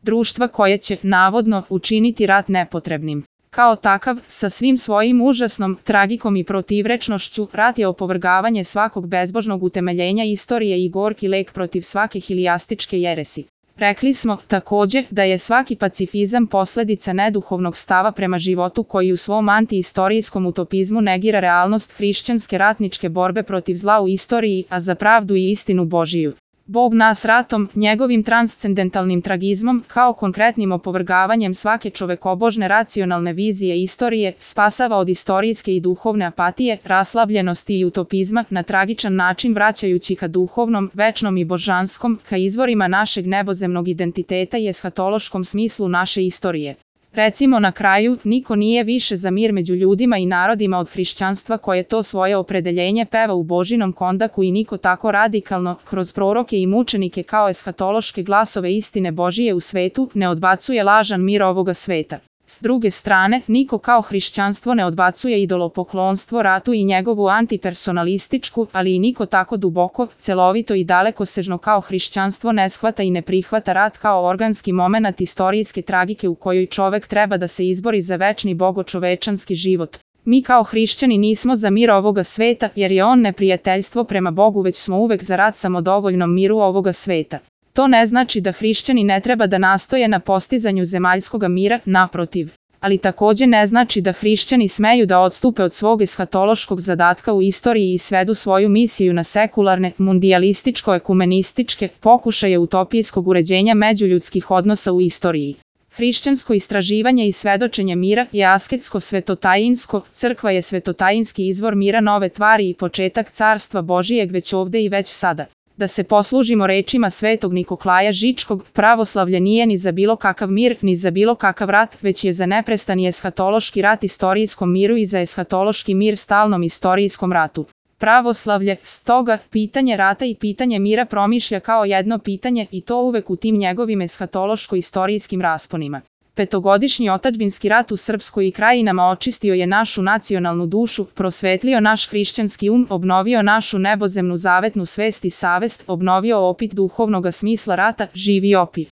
društva koje će, navodno, učiniti rat nepotrebnim. Kao takav, sa svim svojim užasnom tragikom i protivrečnošću, rat je opovrgavanje svakog bezbožnog utemeljenja istorije i gorki lek protiv svake hilijastičke jeresi. Rekli smo, takođe, da je svaki pacifizam posledica neduhovnog stava prema životu koji u svom antiistorijskom utopizmu negira realnost hrišćanske ratničke borbe protiv zla u istoriji, a za pravdu i istinu Božiju. Bog nas ratom, njegovim transcendentalnim tragizmom, kao konkretnim opovrgavanjem svake čovekobožne racionalne vizije istorije, spasava od istorijske i duhovne apatije, raslabljenosti i utopizma, na tragičan način vraćajući ka duhovnom, večnom i božanskom, ka izvorima našeg nebozemnog identiteta i eshatološkom smislu naše istorije. Recimo na kraju, niko nije više za mir među ljudima i narodima od hrišćanstva koje to svoje opredeljenje peva u Božinom kondaku i niko tako radikalno, kroz proroke i mučenike kao eshatološke glasove istine Božije u svetu, ne odbacuje lažan mir ovoga sveta. S druge strane, niko kao hrišćanstvo ne odbacuje idolopoklonstvo, ratu i njegovu antipersonalističku, ali i niko tako duboko, celovito i dalekosežno kao hrišćanstvo ne shvata i ne prihvata rat kao organski momenat istorijske tragike u kojoj čovek treba da se izbori za večni bogočovečanski život. Mi kao hrišćani nismo za mir ovoga sveta, jer je on neprijateljstvo prema Bogu, već smo uvek za rat samodovoljnom miru ovoga sveta. To ne znači da hrišćani ne treba da nastoje na postizanju zemaljskoga mira, naprotiv. Ali takođe ne znači da hrišćani smeju da odstupe od svog eshatološkog zadatka u istoriji i svedu svoju misiju na sekularne, mundijalističko-ekumenističke pokušaje utopijskog uređenja međuljudskih odnosa u istoriji. Hrišćansko istraživanje i svedočenje mira je asketsko-svetotajinsko, crkva je svetotajinski izvor mira nove tvari i početak carstva Božijeg već ovde i već sada. Da se poslužimo rečima svetog Nikolaja Žičkog, pravoslavlje nije ni za bilo kakav mir, ni za bilo kakav rat, već je za neprestani eshatološki rat istorijskom miru i za eshatološki mir stalnom istorijskom ratu. Pravoslavlje, stoga, pitanje rata i pitanje mira promišlja kao jedno pitanje i to uvek u tim njegovim eshatološko-istorijskim rasponima. Petogodišnji otadžbinski rat u Srpskoj i krajinama očistio je našu nacionalnu dušu, prosvetlio naš hrišćanski obnovio našu nebozemnu zavetnu svest i savest, obnovio opit duhovnoga smisla rata, živi opit.